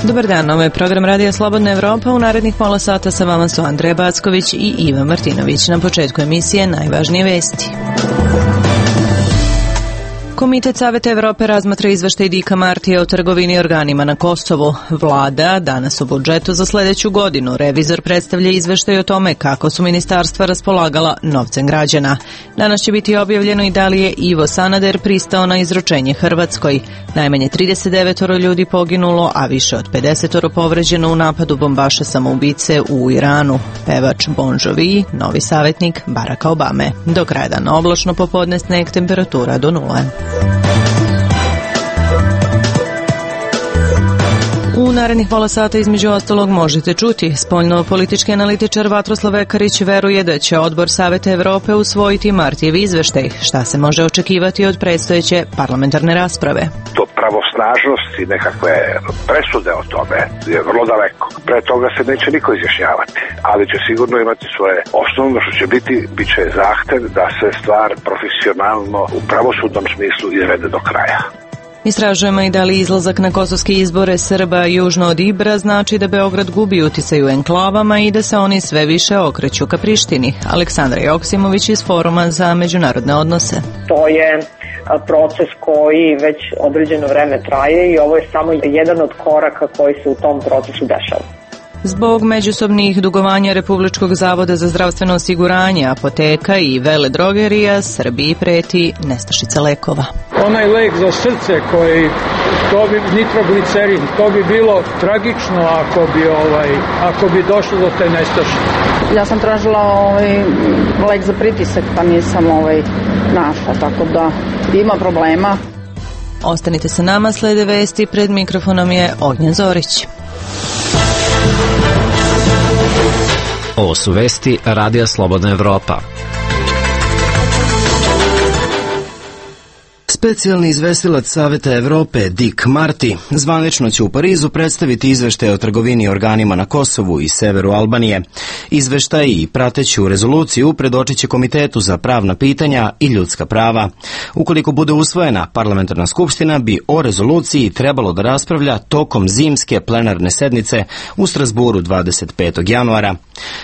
Dobar dan, ovo je program Radija Slobodna Evropa. U narednih pola sata sa vama su Andreja Backović i Ivan Martinović. Na početku emisije najvažnije vesti. Komitet Saveta Evrope razmatra izveštaj Dika Martija o trgovini organima na Kosovu. Vlada danas o budžetu za sledeću godinu. Revizor predstavlja izveštaj o tome kako su ministarstva raspolagala novcem građana. Danas će biti objavljeno i da li je Ivo Sanader pristao na izručenje Hrvatskoj. Najmanje 39 ljudi poginulo, a više od 50 povređeno u napadu bombaša samoubice u Iranu. Pevač Bon Jovi, novi savjetnik Baracka Obame. Do kraja dana oblačno, popodne sneg, temperatura do 0. U narednih pola sata između ostalog možete čuti. Spoljno-politički analitičar Vatroslav Ekarić veruje da će Odbor Saveta Evrope usvojiti Martijev izveštaj. Šta se može očekivati od predstojeće parlamentarne rasprave? Do pravosnažnosti nekakve presude o tome je vrlo daleko. Pre toga se neće niko izjašnjavati, ali će sigurno imati svoje osnovno što će bit će zahtev da se stvar profesionalno u pravosudnom smislu izvede do kraja. Istražujemo i da li izlazak na kosovske izbore Srba južno od Ibra znači da Beograd gubi uticaj u enklavama i da se oni sve više okreću ka Prištini. Aleksandra Joksimović iz Foruma za međunarodne odnose. To je proces koji već određeno vreme traje i ovo je samo jedan od koraka koji se u tom procesu dešava. Zbog međusobnih dugovanja Republičkog zavoda za zdravstveno osiguranje, apoteka i veledrogerija, Srbiji preti nestašica lekova. Onaj lek za srce koji, to bi nitroglicerin, to bi bilo tragično ako bi došlo do te nestašice. Ja sam tražila lek za pritisak, pa nisam našla, tako da ima problema. Ostanite sa nama, slede vesti, pred mikrofonom je Ognjen Zorić. Ovo su vesti Radija Slobodna Evropa. Specijalni izvestilac Saveta Evrope Dick Marty zvanično će u Parizu predstaviti izveštaj o trgovini organima na Kosovu i severu Albanije. Izveštaj i prateću rezoluciju predočit će Komitetu za pravna pitanja i ljudska prava. Ukoliko bude usvojena, parlamentarna skupština bi o rezoluciji trebalo da raspravlja tokom zimske plenarne sednice u Strasburu 25. januara.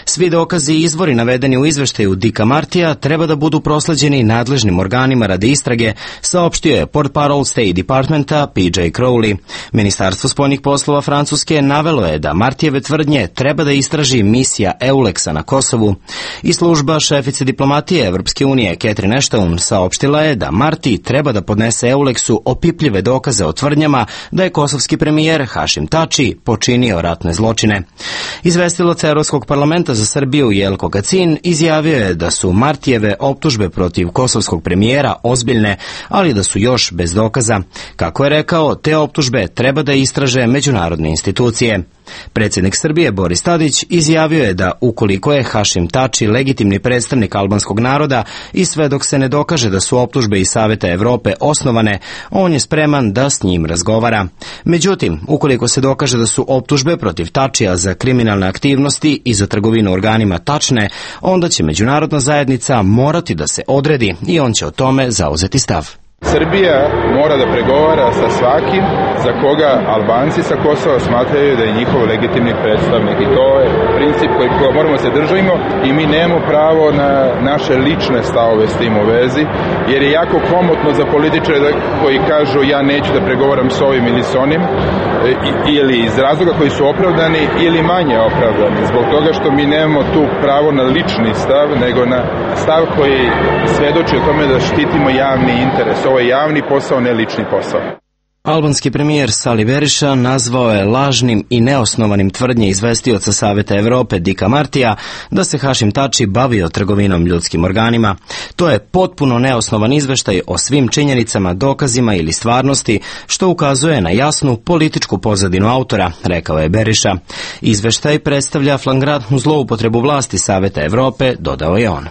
Svi dokazi i izvori navedeni u izveštaju Dicka Martija treba da budu prosleđeni nadležnim organima radi istrage, saopštio je portparol State Departmenta PJ Crowley. Ministarstvo spoljnih poslova Francuske navelo je da Martijeve tvrdnje treba da istraži misija EULEX-a na Kosovu. I služba šefice diplomatije Evropske unije Catherine Ashton saopštila je da Marti treba da podnese EULEX-u opipljive dokaze o tvrdnjama da je kosovski premijer Hašim Tači počinio ratne zločine. Izvestilac Evropskog parlamenta za Srbiju Jelko Kacin izjavio je da su Martijeve optužbe protiv kosovskog premijera ozbiljne, ali da su još bez dokaza. Kako je rekao, te optužbe treba da istraže međunarodne institucije. Predsjednik Srbije Boris Tadić izjavio je da ukoliko je Hašim Tači legitimni predstavnik albanskog naroda i sve dok se ne dokaže da su optužbe iz Saveta Evrope osnovane, on je spreman da s njim razgovara. Međutim, ukoliko se dokaže da su optužbe protiv Tačija za kriminalne aktivnosti i za trgovinu organima tačne, onda će međunarodna zajednica morati da se odredi i on će o tome zauzeti stav. Srbija mora da pregovara sa svakim za koga Albanci sa Kosova smatraju da je njihov legitimni predstavnik. I to je princip koji moramo se držimo i mi nemamo pravo na naše lične stavove s tim u vezi, jer je jako komotno za političare koji kažu ja neću da pregovaram s ovim ili s onim, ili iz razloga koji su opravdani ili manje opravdani. Zbog toga što mi nemamo tu pravo na lični stav, nego na stav koji svedoči o tome da štitimo javni interes. Ovo je javni posao, ne lični posao. Albanski premijer Sali Berisha nazvao je lažnim i neosnovanim tvrdnje izvestioca Saveta Evrope Dicka Martija da se Hašim Tači bavio trgovinom ljudskim organima. To je potpuno neosnovan izveštaj o svim činjenicama, dokazima ili stvarnosti, što ukazuje na jasnu političku pozadinu autora, rekao je Berisha. Izveštaj predstavlja flagrantnu zloupotrebu vlasti Saveta Evrope, dodao je on.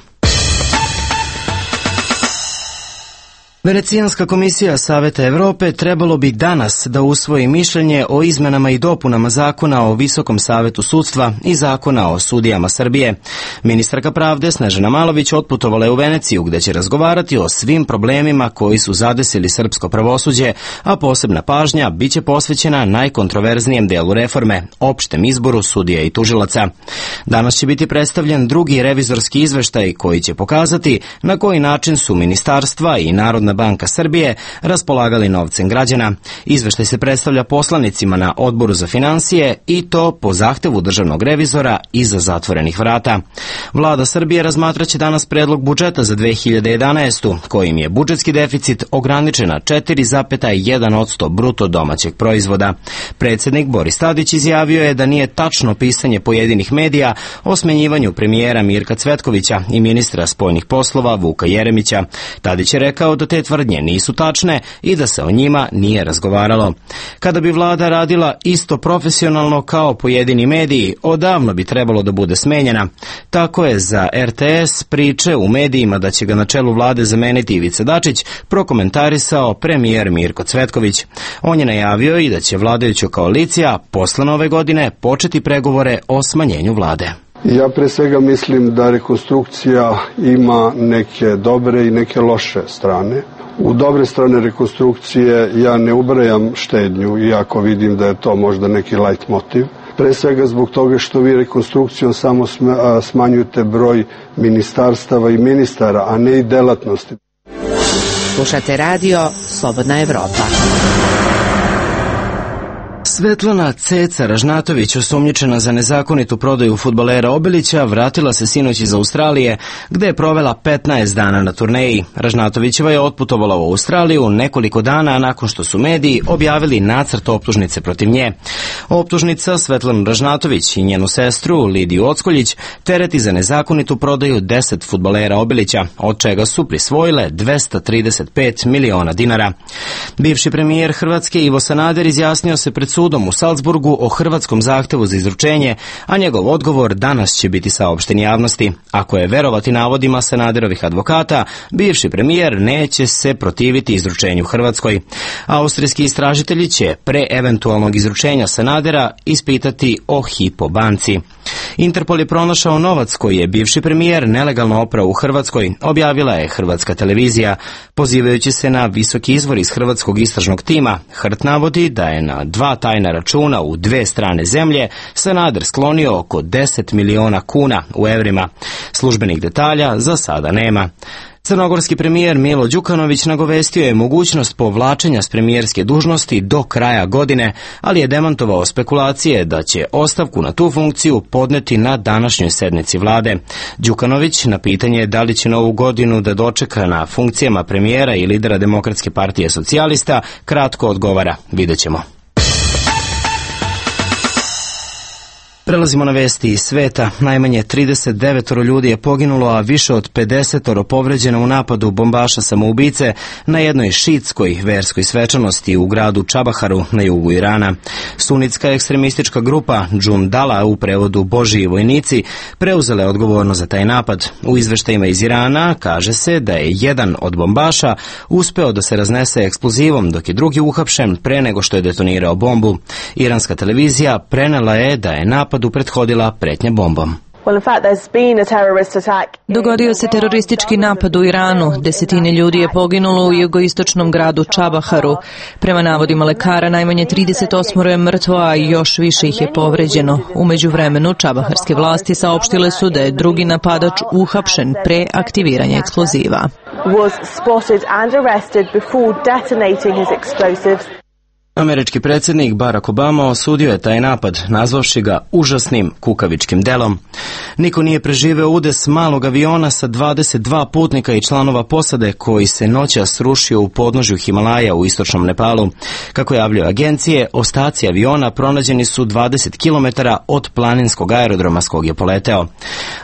Venecijanska komisija Saveta Evrope trebalo bi danas da usvoji mišljenje o izmenama i dopunama Zakona o Visokom savetu sudstva i Zakona o sudijama Srbije. Ministarka pravde Snežana Malović otputovala je u Veneciju gde će razgovarati o svim problemima koji su zadesili srpsko pravosuđe, a posebna pažnja biće posvećena najkontroverznijem delu reforme, opštem izboru sudija i tužilaca. Danas će biti predstavljen drugi revizorski izveštaj koji će pokazati na koji način su ministarstva i Narodna banka Srbije raspolagali novcem građana. Izveštaj se predstavlja poslanicima na Odboru za finansije i to po zahtevu državnog revizora iza zatvorenih vrata. Vlada Srbije razmatraće danas predlog budžeta za 2011. kojim je budžetski deficit ograničen na 4,1% bruto domaćeg proizvoda. Predsjednik Boris Tadić izjavio je da nije tačno pisanje pojedinih medija o smenjivanju premijera Mirka Cvetkovića i ministra spoljnih poslova Vuka Jeremića. Tadić je rekao da te tvrdnje nisu tačne i da se o njima nije razgovaralo. Kada bi vlada radila isto profesionalno kao pojedini mediji, odavno bi trebalo da bude smenjena. Tako je za RTS priče u medijima da će ga na čelu vlade zameniti Ivica Dačić prokomentarisao premijer Mirko Cvetković. On je najavio i da će vladajuća koalicija posle nove godine početi pregovore o smanjenju vlade. Ja pre svega mislim da rekonstrukcija ima neke dobre i neke loše strane. U dobre strane rekonstrukcije ja ne ubrajam štednju, iako vidim da je to možda neki light motiv. Pre svega zbog toga što vi rekonstrukcijom samo smanjujete broj ministarstava i ministara, a ne i delatnosti. Slušate radio Slobodna Evropa. Svetlana Ceca Ražnatović, osumnjičena za nezakonitu prodaju fudbalera Obilića, vratila se sinoć iz Australije, gde je provela 15 dana na turneji. Ražnatovićeva je otputovala u Australiju nekoliko dana nakon što su mediji objavili nacrt optužnice protiv nje. Optužnica Svetlanu Ražnatović i njenu sestru Lidiju Ockoljić tereti za nezakonitu prodaju 10 fudbalera Obilića, od čega su prisvojile 235 miliona dinara. Bivši premijer Hrvatske Ivo Sanader izjasnio se pred sudom u Salzburgu o hrvatskom zahtevu za izručenje, a njegov odgovor danas će biti saopšten javnosti. Ako je verovati navodima Sanaderovih advokata, bivši premijer neće se protiviti izručenju Hrvatskoj. Austrijski istražitelji će pre eventualnog izručenja Sanadera ispitati o Hypo banci. Interpol je pronašao novac koji je bivši premijer nelegalno oprao u Hrvatskoj, objavila je Hrvatska televizija. Pozivajući se na visoki izvor iz hrvatskog istražnog tima, HRT navodi da je na 2 tajna računa u 2 strane zemlje Sanader sklonio oko 10 miliona kuna u evrima. Službenih detalja za sada nema. Crnogorski premijer Milo Đukanović nagovestio je mogućnost povlačenja s premijerske dužnosti do kraja godine, ali je demantovao spekulacije da će ostavku na tu funkciju podneti na današnjoj sednici vlade. Đukanović na pitanje da li će novu godinu da dočeka na funkcijama premijera i lidera Demokratske partije socijalista kratko odgovara: vidjet ćemo. Prelazimo na vesti iz sveta. Najmanje 39 ljudi je poginulo, a više od 50 povređeno u napadu bombaša samoubice na jednoj šiitskoj verskoj svečanosti u gradu Čabaharu na jugu Irana. Sunitska ekstremistička grupa Džundala, u prevodu Božiji vojnici, preuzela je odgovornost za taj napad. U izveštajima iz Irana kaže se da je jedan od bombaša uspeo da se raznese eksplozivom, dok je drugi uhapšen pre nego što je detonirao bombu. Iranska televizija prenela je da je napadu prethodila pretnja bombom. Dogodio se teroristički napad u Iranu. Desetine ljudi je poginulo u jugoistočnom gradu Čabaharu. Prema navodima lekara, najmanje 38 je mrtvo, a još više ih je povređeno. U međuvremenu, čabaharske vlasti saopštile su da je drugi napadač uhapšen pre aktiviranja eksploziva. Američki predsjednik Barack Obama osudio je taj napad, nazvavši ga užasnim kukavičkim delom. Niko nije preživeo udes malog aviona sa 22 putnika i članova posade koji se noćas srušio u podnožju Himalaja u istočnom Nepalu. Kako javljaju agencije, ostaci aviona pronađeni su 20 km od planinskog aerodroma s kog je poleteo.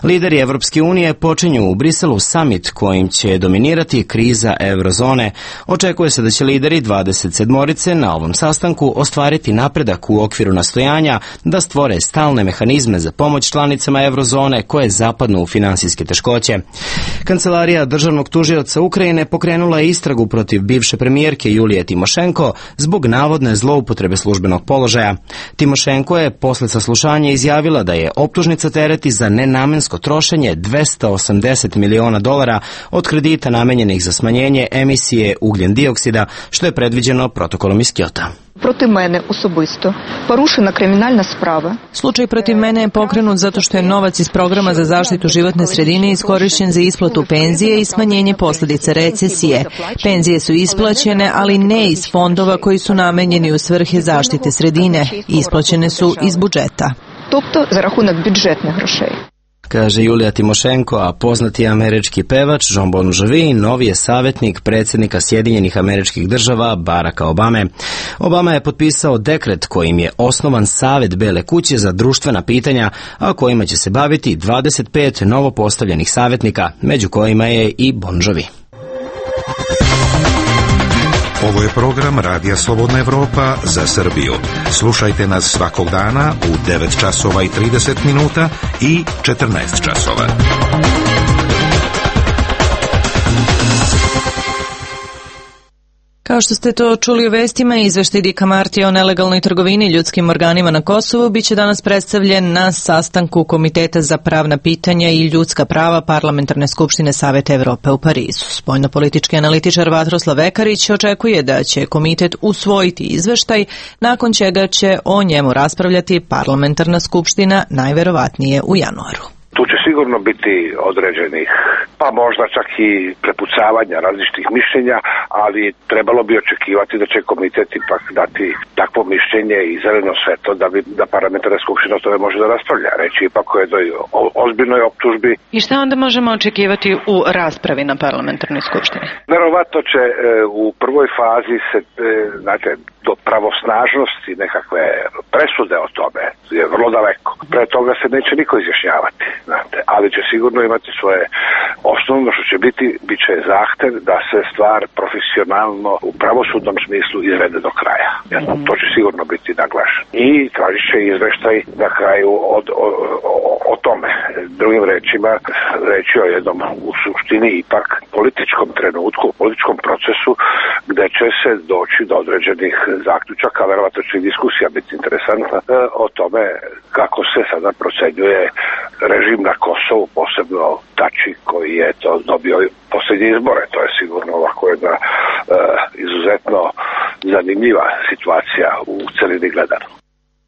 Lideri Evropske unije počinju u Briselu summit kojim će dominirati kriza eurozone. Očekuje se da će lideri 27 na ovom sastanku ostvariti napredak u okviru nastojanja da stvore stalne mehanizme za pomoć članicama eurozone koje zapadnu u finansijske teškoće. Kancelarija državnog tužioca Ukrajine pokrenula je istragu protiv bivše premijerke Julije Timošenko zbog navodne zloupotrebe službenog položaja. Timošenko je posle saslušanja izjavila da je optužnica tereti za nenamensko trošenje $280 miliona od kredita namenjenih za smanjenje emisije ugljen dioksida, što je predviđeno protokolom iz Kyota. Protiv mene osobisto porušena kriminalna sprava. Slučaj protiv mene je pokrenut zato što je novac iz programa za zaštitu životne sredine iskorišćen za isplatu penzije i smanjenje posljedica recesije. Penzije su isplaćene, ali ne iz fondova koji su namenjeni u svrhe zaštite sredine. Isplaćene su iz budžeta. Тобто за рахунок бюджетних грошей. Kaže Julija Timošenko, a poznati američki pevač Jon Bon Jovi novi je savjetnik predsjednika Sjedinjenih Američkih Država Baracka Obame. Obama je potpisao dekret kojim je osnovan Savet Bele kuće za društvena pitanja, a kojima će se baviti 25 novopostavljenih savjetnika, među kojima je i Bon Jovi. Ovo je program Radija Slobodna Evropa za Srbiju. Slušajte nas svakog dana u 9 časova i 30 minuta i 14 časova. Kao što ste to čuli u vestima, izveštaj Dicka Martija o nelegalnoj trgovini ljudskim organima na Kosovu biće danas predstavljen na sastanku Komiteta za pravna pitanja i ljudska prava Parlamentarne skupštine Saveta Evrope u Parizu. Spoljnopolitički analitičar Vatroslav Vekarić očekuje da će komitet usvojiti izveštaj, nakon čega će o njemu raspravljati Parlamentarna skupština najverovatnije u januaru. Tu će sigurno biti određenih, pa možda čak i prepucavanja različitih mišljenja, ali trebalo bi očekivati da će komitet ipak dati takvo mišljenje i zeleno svetlo da parlamentarna skupština o tome može da raspravlja. Reći ipak o jednoj ozbiljnoj optužbi. I šta onda možemo očekivati u raspravi na parlamentarnoj skupštini? Verovatno će u prvoj fazi se, znate, do pravosnažnosti nekakve presude o tome je vrlo daleko. Pre toga se neće niko izjašnjavati, znate, ali će sigurno imati svoje osnovno što će bit će zahtev da se stvar profesionalno u pravosudnom smislu izvede do kraja. To će sigurno biti naglašeno. I tražit će izveštaj na kraju o tome. Drugim rečima, reći o jednom u suštini ipak političkom trenutku, političkom procesu gde će se doći do određenih zaključaka, verovatno će i diskusija biti interesantna o tome kako se sada procenjuje režim na Kosovu, posebno Tači koji je to dobio posljednje izbore. To je sigurno ovako jedna izuzetno zanimljiva situacija u celini gledano.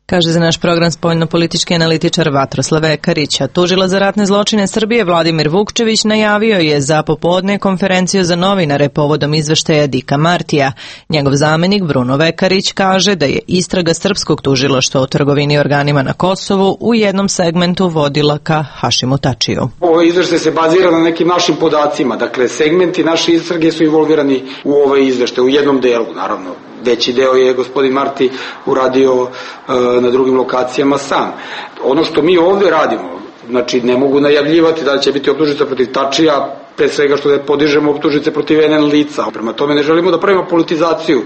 Kaže za naš program spoljnopolitički analitičar Vatroslav Vekarić. Tužila za ratne zločine Srbije Vladimir Vukčević najavio je za popodne konferenciju za novinare povodom izveštaja Dicka Martija. Njegov zamenik Bruno Vekarić kaže da je istraga srpskog tužilaštva o trgovini organima na Kosovu u jednom segmentu vodila ka Hašimu Tačiju. Ovo izveštaj se bazira na nekim našim podacima. Dakle, segmenti naše istrage su involvirani u ovaj izveštaj, u jednom delu, naravno. Veći deo je gospodin Marti uradio na drugim lokacijama sam. Ono što mi ovdje radimo, znači ne mogu najavljivati da će biti optužnica protiv Tačija, pre svega što da podižemo optužnice protiv NN lica. Prema tome ne želimo da pravimo politizaciju.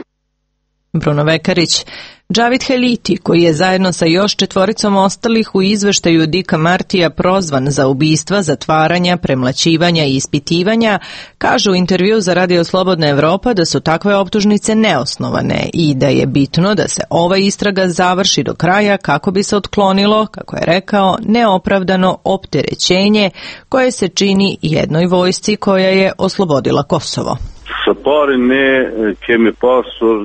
Bruno Vekarić. Džavid Heliti, koji je zajedno sa još 4 ostalih u izveštaju Dicka Martija prozvan za ubistva, zatvaranja, premlaćivanja i ispitivanja, kaže u intervju za Radio Slobodna Evropa da su takve optužnice neosnovane i da je bitno da se ova istraga završi do kraja kako bi se otklonilo, kako je rekao, neopravdano opterećenje koje se čini jednoj vojsci koja je oslobodila Kosovo.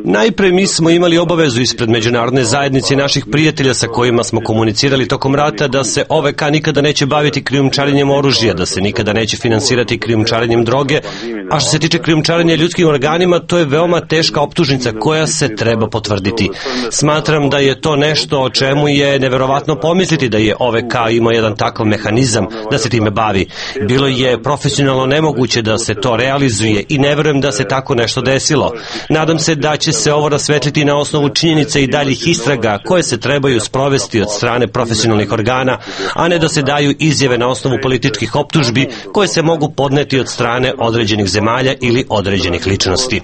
Najpre mi smo imali obavezu ispred međunarodne zajednice i naših prijatelja sa kojima smo komunicirali tokom rata da se OVK nikada neće baviti krijumčarenjem oružja, da se nikada neće finansirati krijumčarenjem droge, a što se tiče krijumčarenja ljudskim organima, to je veoma teška optužnica koja se treba potvrditi. Smatram da je to nešto o čemu je neverovatno pomisliti da je OVK imao jedan takav mehanizam da se time bavi. Bilo je profesionalno nemoguće da se to realizuje i ne verujem da se tako nešto desilo. Nadam se da će se ovo rasvetliti na osnovu činjenica i daljih istraga koje se trebaju sprovesti od strane profesionalnih organa, a ne da se daju izjave na osnovu političkih optužbi koje se mogu podneti od strane određenih zemalja ili određenih ličnosti.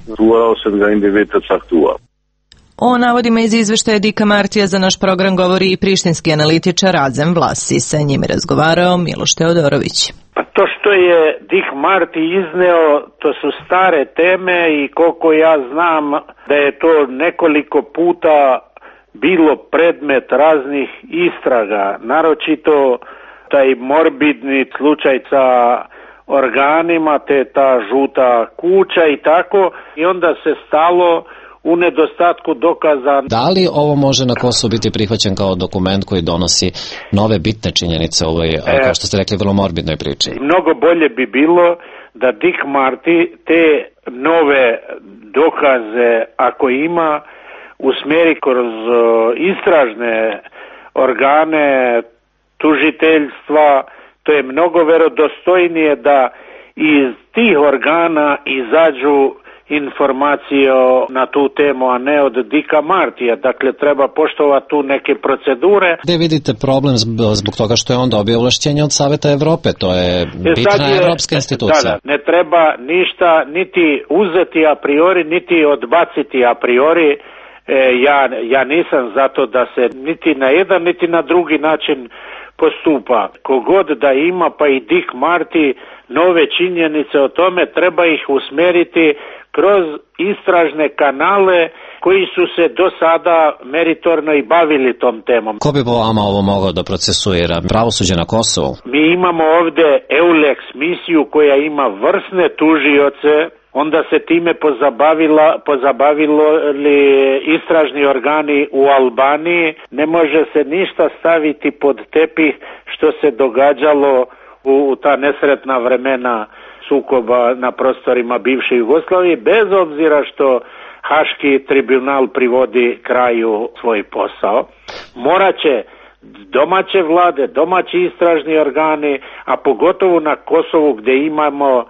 O navodima iz izveštaja Dika Martija za naš program govori i prištinski analitičar Azem Vlasi. Sa njim je razgovarao Miloš Teodorović. Pa to što je Dik Marti izneo, to su stare teme i koliko ja znam da je to nekoliko puta bilo predmet raznih istraga, naročito taj morbidni slučaj sa organima, te ta žuta kuća i tako, i onda se stalo u nedostatku dokaza. Da li ovo može na Kosovu biti prihvaćen kao dokument koji donosi nove bitne činjenice u ovoj, kao što ste rekli, vrlo morbidnoj priči? Mnogo bolje bi bilo da Dik Marti te nove dokaze, ako ima, usmjeri kroz istražne organe, tužiteljstva. To je mnogo verodostojnije da iz tih organa izađu informacije na tu temu, a ne od Dika Martija. Dakle, treba poštovati tu neke procedure. Gde vidite problem zbog toga što je on dobio ovlašćenje od Saveta Evrope? To je bitna evropska institucija. Da, ne treba ništa niti uzeti a priori, niti odbaciti a priori. Ja nisam zato da se niti na jedan, niti na drugi način postupa. Kogod da ima, pa i Dik Marti, nove činjenice o tome, treba ih usmjeriti kroz istražne kanale koji su se do sada meritorno i bavili tom temom. Ko bi po vama ovo mogao da procesuira? Pravosuđe na Kosovu? Mi imamo ovde EULEX misiju koja ima vrsne tužioce, onda se time pozabavilo li istražni organi u Albaniji. Ne može se ništa staviti pod tepih što se događalo u ta nesretna vremena sukoba na prostorima bivše Jugoslavije, bez obzira što Haški tribunal privodi kraju svoj posao. Moraće domaće vlade, domaći istražni organi, a pogotovo na Kosovu gdje imamo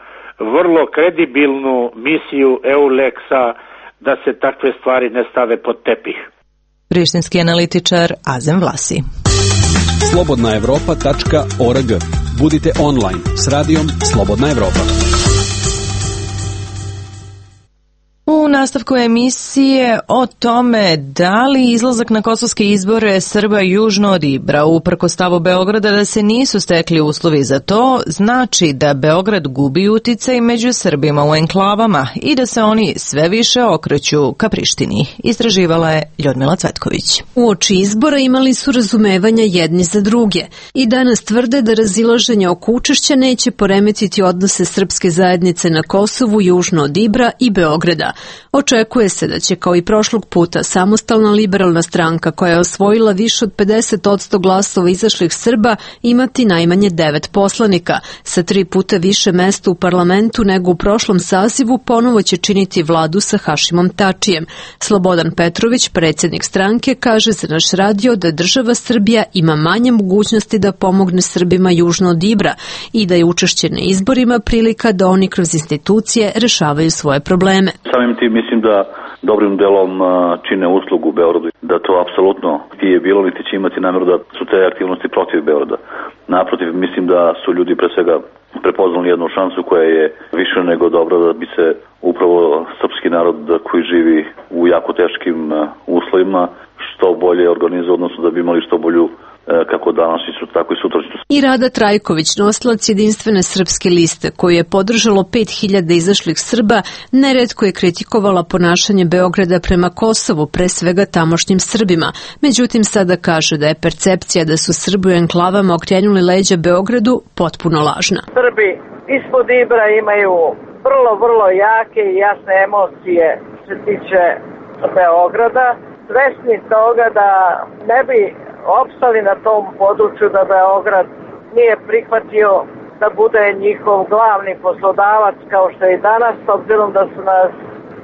vrlo kredibilnu misiju EULEX-a, da se takve stvari ne stave pod tepih. Prištinski analitičar Azem Vlasi. slobodnaevropa.org. Budite online s radijom Slobodna Evropa. U nastavku emisije o tome da li izlazak na kosovske izbore Srba južno od Ibra, uprkos stavu Beograda da se nisu stekli uslovi za to, znači da Beograd gubi uticaj među Srbima u enklavama i da se oni sve više okreću ka Prištini. Istraživala je Ljudmila Cvetković. Uoči izbora imali su razumevanja jedni za druge i danas tvrde da razilaženje oko učešća neće poremetiti odnose srpske zajednice na Kosovu južno od Ibra i Beograda. Očekuje se da će kao i prošlog puta samostalna liberalna stranka koja je osvojila više od 50% glasova izašlih Srba imati najmanje 9 poslanika. Sa 3 puta više mesta u parlamentu nego u prošlom sazivu ponovo će činiti vladu sa Hašimom Tačijem. Slobodan Petrović, predsjednik stranke, kaže za naš radio da država Srbija ima manje mogućnosti da pomogne Srbima južno od Ibra i da je učešće na izborima prilika da oni kroz institucije rešavaju svoje probleme. Samim tim mislim da dobrim delom čine uslugu Beogradu, da to apsolutno nije bilo niti će imati namjeru da su te aktivnosti protiv Beograda. Naprotiv, mislim da su ljudi pre svega prepoznali jednu šansu koja je više nego dobra da bi se upravo srpski narod koji živi u jako teškim uslovima što bolje organizovao, odnosno da bi imali što bolju kako danas i tako i sutrašnjost. I Rada Trajković, nosilac jedinstvene srpske liste, koju je podržalo 5000 izašlih Srba, neretko je kritikovala ponašanje Beograda prema Kosovu, pre svega tamošnjim Srbima. Međutim, sada kaže da je percepcija da su Srbi u enklavama okrenuli leđa Beogradu potpuno lažna. Srbi ispod Ibra imaju vrlo jake i jasne emocije što se tiče Beograda, svesni toga da ne bi opstali na tom području da Beograd nije prihvatio da bude njihov glavni poslodavac kao što je i danas, s obzirom da su nas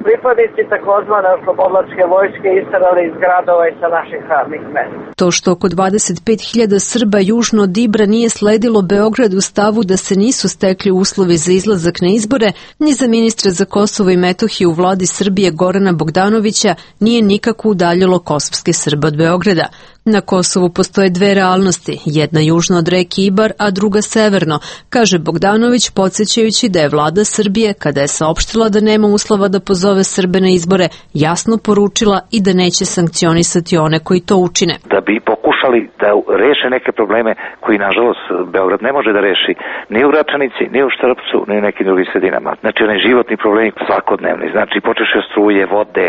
pripadnici takozvane oslobodilačke vojske isterali iz gradova i sa naših radnih mesta. To što oko 25.000 Srba južno od Ibra nije sledilo Beograd u stavu da se nisu stekli uslovi za izlazak na izbore, ni za ministra za Kosovo i Metohiju u vladi Srbije Gorana Bogdanovića nije nikako udaljilo kosovske Srbe od Beograda. Na Kosovu postoje dve realnosti, jedna južno od reke Ibar, a druga severno, kaže Bogdanović, podsjećajući da je vlada Srbije, kada je saopštila da nema uslova da pozove Srbe na izbore, jasno poručila i da neće sankcionisati one koji to učine. Da bi pokušali da reše neke probleme koji, nažalost, Beograd ne može da reši ni u Gračanici, ni u Štrpcu, ni u nekim drugim sredinama. Znači, onaj životni problemi svakodnevni, znači počeš od struje, vode,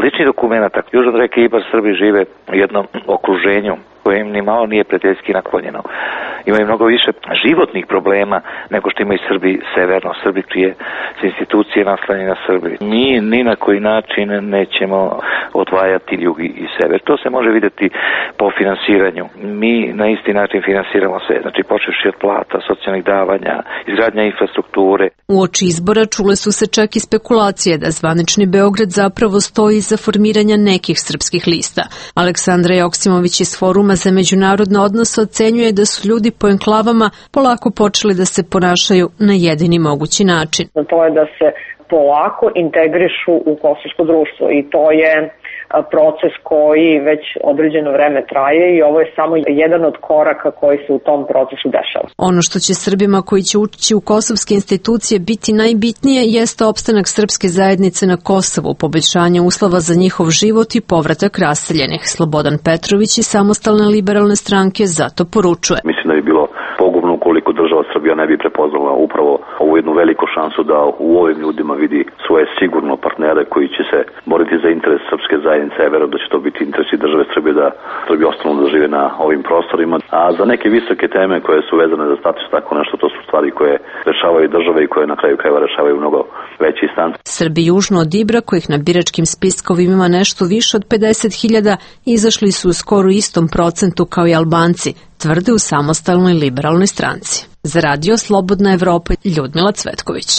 lični dokumenta. Južno od reke Ibar Srbi žive u jednom okruženju koje im ni malo nije prijateljski naklonjeno. Imaju mnogo više životnih problema nego što imaju Srbi severno, Srbi čije su institucije naslonjene na Srbi. Mi ni na koji način nećemo odvajati jug i sever. To se može vidjeti po finansiranju. Mi na isti način finansiramo sve, znači počevši od plata, socijalnih davanja, izgradnja infrastrukture. Uoči izbora čule su se čak i spekulacije da zvanični Beograd zapravo stoji iza formiranja nekih srpskih lista. Aleksandra Joksimović iz Foruma za međunarodne odnose ocenjuje da su ljudi po enklavama polako počeli da se ponašaju na jedini mogući način. To je da se polako integrišu u kosovsko društvo i to je proces koji već određeno vreme traje i ovo je samo jedan od koraka koji se u tom procesu dešava. Ono što će Srbima koji će ući u kosovske institucije biti najbitnije jeste opstanak srpske zajednice na Kosovu, poboljšanje uslova za njihov život i povratak raseljenih. Slobodan Petrović iz Samostalne liberalne stranke zato poručuje. Mislim da bi bilo pogubno ukoliko država Srbija ne bi prepoznala upravo ovu jednu veliku šansu da u ovim ljudima vidi svoje sigurno partnere koji će se boriti za interes srpske zajednice. Ja verujem da će to biti interes i države Srbije da Srbi ostanu da žive na ovim prostorima. A za neke visoke teme koje su vezane za status, tako nešto, to su stvari koje rešavaju države i koje na kraju krajeva rešavaju mnogo veći instanci. Srbi južno od Ibra, kojih na biračkim spiskovima ima nešto više od 50.000, izašli su u skoro istom procentu kao i Albanci, tvrde u Samostalnoj liberalnoj stranci. Za Radio Slobodna Evropa, Ljudmila Cvetković.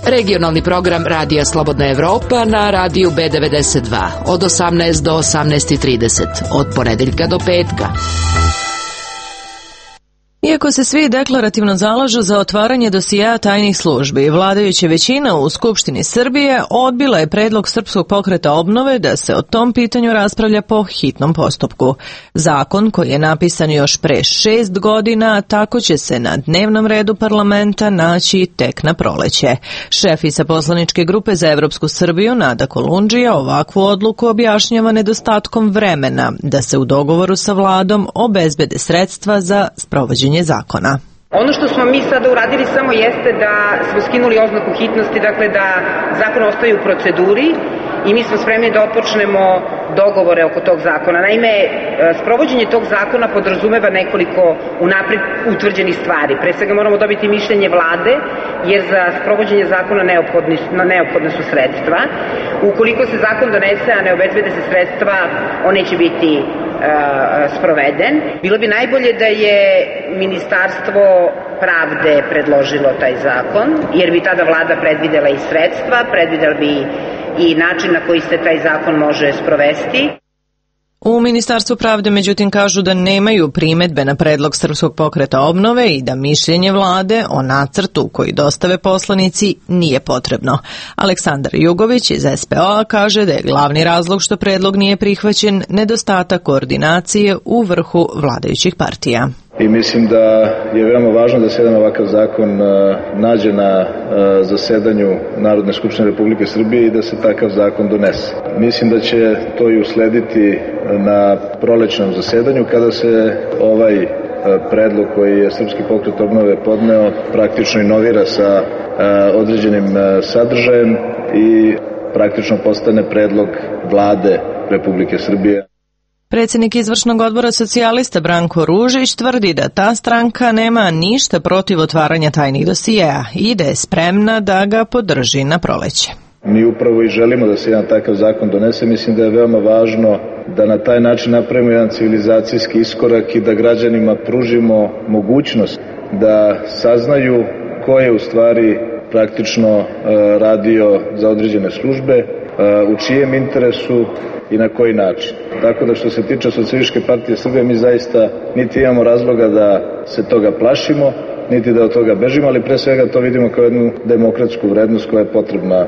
Regionalni program Radija Slobodna Evropa na radiju B92 od 18 do 18:30, od ponedeljka do petka. Iako se svi deklarativno zalažu za otvaranje dosijea tajnih službi, vladajuća većina u Skupštini Srbije odbila je predlog Srpskog pokreta obnove da se o tom pitanju raspravlja po hitnom postupku. Zakon, koji je napisan još pre 6 godina, tako će se na dnevnom redu parlamenta naći tek na proleće. Šefica poslaničke grupe za Evropsku Srbiju, Nada Kolundžija, ovakvu odluku objašnjava nedostatkom vremena da se u dogovoru sa vladom obezbede sredstva za sprovođenje zakona. Ono što smo mi sada uradili samo jeste da smo skinuli oznaku hitnosti, dakle da zakon ostaje u proceduri i mi smo spremni da otpočnemo dogovore oko tog zakona. Naime, sprovođenje tog zakona podrazumeva nekoliko unapred utvrđenih stvari. Pre svega moramo dobiti mišljenje vlade, jer za sprovođenje zakona neophodne su sredstva. Ukoliko se zakon donese, a ne obezbede se sredstva, on neće biti sproveden. Bilo bi najbolje da je Ministarstvo pravde predložilo taj zakon, jer bi tada vlada predvidela i sredstva, predvidela bi i način na koji se taj zakon može sprovesti. U Ministarstvu pravde, međutim, kažu da nemaju primedbe na predlog Srpskog pokreta obnove i da mišljenje vlade o nacrtu koji dostave poslanici nije potrebno. Aleksandar Jugović iz SPO kaže da je glavni razlog što predlog nije prihvaćen nedostatak koordinacije u vrhu vladajućih partija. I mislim da je veoma važno da se jedan ovakav zakon nađe na zasedanju Narodne skupštine Republike Srbije i da se takav zakon donese. Mislim da će to i uslediti na prolećnom zasedanju kada se ovaj predlog koji je Srpski pokret obnove podneo praktično inovira sa određenim sadržajem i praktično postane predlog vlade Republike Srbije. Predsjednik izvršnog odbora socijalista Branko Ružić tvrdi da ta stranka nema ništa protiv otvaranja tajnih dosijeja i da je spremna da ga podrži na proleće. Mi upravo i želimo da se jedan takav zakon donese. Mislim da je veoma važno da na taj način napravimo jedan civilizacijski iskorak i da građanima pružimo mogućnost da saznaju ko je u stvari praktično radio za određene službe, u čijem interesu i na koji način. Tako da što se tiče Socijalističke partije Srbije, mi zaista niti imamo razloga da se toga plašimo, niti da od toga bežimo, ali pre svega to vidimo kao jednu demokratsku vrednost koja je potrebna.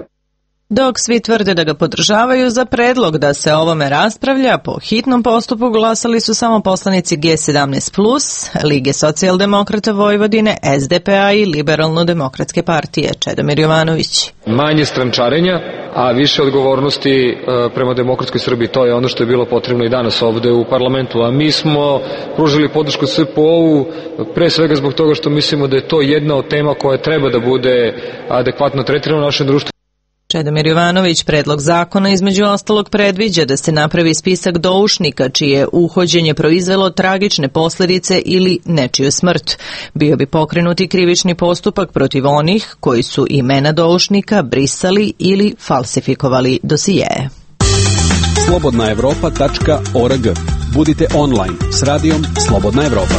Dok svi tvrde da ga podržavaju, za predlog da se ovome raspravlja po hitnom postupku glasali su samo poslanici G17+, Lige socijaldemokrata Vojvodine, SDP-a i Liberalno-demokratske partije. Čedomir Jovanović. Manje strančarenja, a više odgovornosti prema demokratskoj Srbiji. To je ono što je bilo potrebno i danas ovde u parlamentu. A mi smo pružili podršku SPO-u pre svega zbog toga što mislimo da je to jedna od tema koja treba da bude adekvatno tretirana u našem društvu. Čedomir Jovanović, predlog zakona između ostalog predviđa da se napravi spisak doušnika čije uhođenje proizvelo tragične posljedice ili nečiju smrt. Bio bi pokrenuti krivični postupak protiv onih koji su imena doušnika brisali ili falsifikovali dosijeje. slobodnaevropa.org. Budite online s radijom Slobodna Evropa.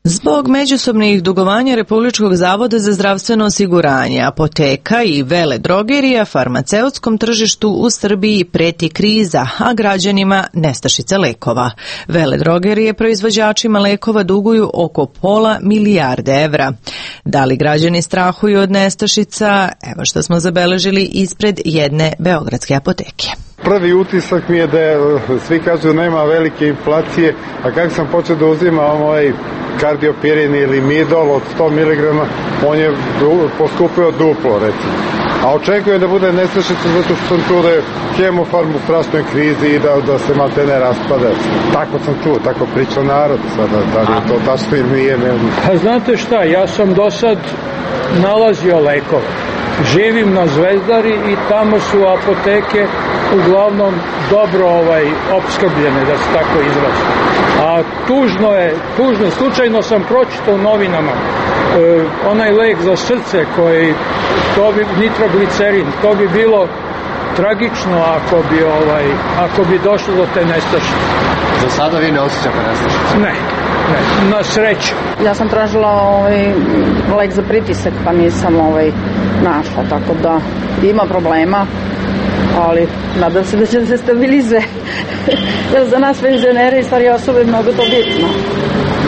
Zbog međusobnih dugovanja Republičkog zavoda za zdravstveno osiguranje, apoteka i vele drogerija, farmaceutskom tržištu u Srbiji preti kriza, a građanima nestašica lekova. Vele drogerije proizvođačima lekova duguju oko £0,5 milijarde evra. Da li građani strahuju od nestašica? Evo što smo zabeležili ispred jedne beogradske apoteke. Prvi utisak mi je da svi kažu nema velike inflacije, a kako sam počeo da uzimam ovaj kardiopirin ili midol od 100 mg, on je poskupio duplo, recimo. A očekujem da bude nestašica zato što sam čuo da je Hemofarm u strašnoj krizi i da se maltene raspada. Tako sam čuo, tako priča narod sada, da li je to tačno ili nije, ne znam. Pa znate šta, ja sam do sad nalazio lekove. Živim na Zvezdari i tamo su apoteke uglavnom dobro opskrbljene, da se tako izrazi. A tužno, slučajno sam pročitao u novinama onaj lek za srce koji, to bi nitroglicerin, to bi bilo tragično ako bi došlo do te nestašice. Za sada vi ne osjećate nestašice? Ne, na sreću. Ja sam tražila lek za pritisak, pa nisam našla, tako da ima problema, ali nadam se da će se stabilizuje. Jer za nas penzionere i starije osobe mnogo to bitno,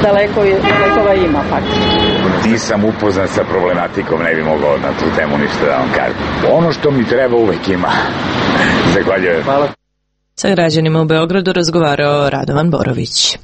da lekova ima faktički. Nisam upoznat sa problematikom, ne bi mogao na tu temu ništa da vam kažem. Ono što mi treba uvek ima. Zahvaljujem. Hvala. Sa građanima u Beogradu razgovarao Radovan Borović.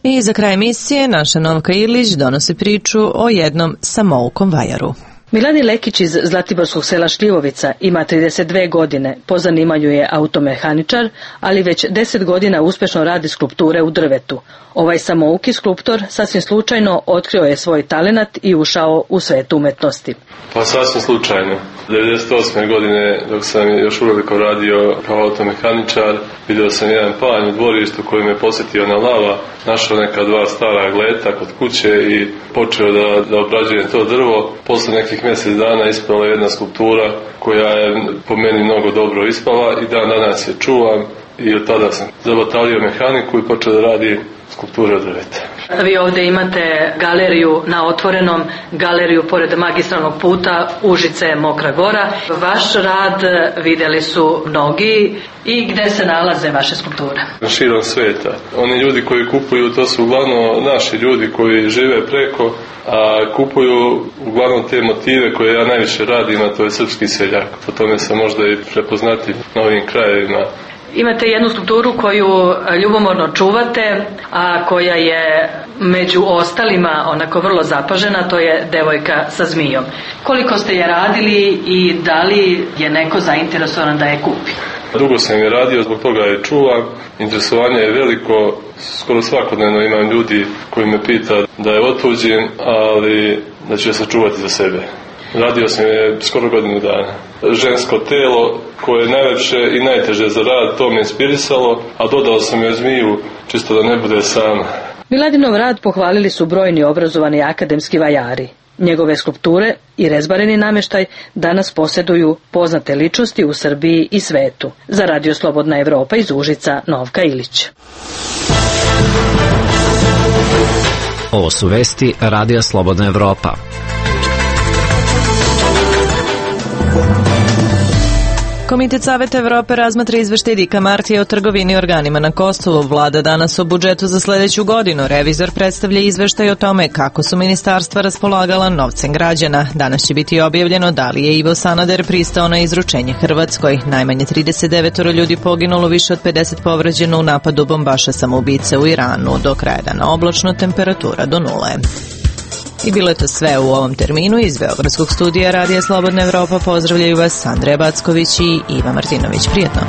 I za kraj emisije naša Novka Ilić donosi priču o jednom samoukom vajaru. Miladin Lekić iz zlatiborskog sela Šljivovica ima 32 godine, po zanimanju je automehaničar, ali već 10 godina uspešno radi skulpture u drvetu. Ovaj samouki skulptor sasvim slučajno otkrio je svoj talenat i ušao u svet umetnosti. Pa sasvim slučajno. 98. godine, dok sam još uveliko radio kao automehaničar, vidio sam jedan panj u dvorištu koji me posjetio na lava, našao neka dva stara gleta kod kuće i počeo da obrađujem to drvo. Posle nekih mjesec dana ispala jedna skulptura koja je po meni mnogo dobro ispala i dan danas je čuvam i od tada sam zabatalio mehaniku i počeo da radim skulpture od drveta. Vi ovdje imate galeriju na otvorenom, galeriju pored magistralnog puta Užice Mokra Gora. Vaš rad vidjeli su mnogi i gdje se nalaze vaše skulpture? Širom sveta. Oni ljudi koji kupuju, to su uglavnom naši ljudi koji žive preko, a kupuju uglavnom te motive koje ja najviše radim, a to je srpski seljak. Po tome sam možda i prepoznatljiv na ovim krajevima. Imate jednu skulpturu koju ljubomorno čuvate, a koja je među ostalima onako vrlo zapažena, to je devojka sa zmijom. Koliko ste je radili i da li je neko zainteresovan da je kupi? Dugo sam je radio, zbog toga je čuvam. Interesovanje je veliko, skoro svakodnevno imam ljudi koji me pita da je otuđim, ali da ću je sačuvati za sebe. Radio sam je skoro godinu dana. Žensko telo koje je najlepše i najteže za rad, to me inspirisalo, a dodao sam joj zmiju čisto da ne bude sama. Miladinov rad pohvalili su brojni obrazovani akademski vajari. Njegove skulpture i rezbareni namještaj danas posjeduju poznate ličnosti u Srbiji i svetu. Za Radio Slobodna Evropa iz Užica, Novka Ilić. Ovo su vesti Radija Slobodna Evropa. Komitet Saveta Evrope razmatra izveštaj Dika Martija o trgovini organima na Kosovu. Vlada danas o budžetu za sledeću godinu. Revizor predstavlja izveštaj o tome kako su ministarstva raspolagala novcem građana. Danas će biti objavljeno da li je Ivo Sanader pristao na izručenje Hrvatskoj. Najmanje 39 ljudi poginulo, više od 50 povređeno u napadu bombaša samoubice u Iranu. Do kraja dana oblačno, temperatura do 0. I bilo je to sve u ovom terminu. Iz Beogradskog studija Radija Slobodna Evropa pozdravljaju vas Andreja Backović i Iva Martinović. Prijetno!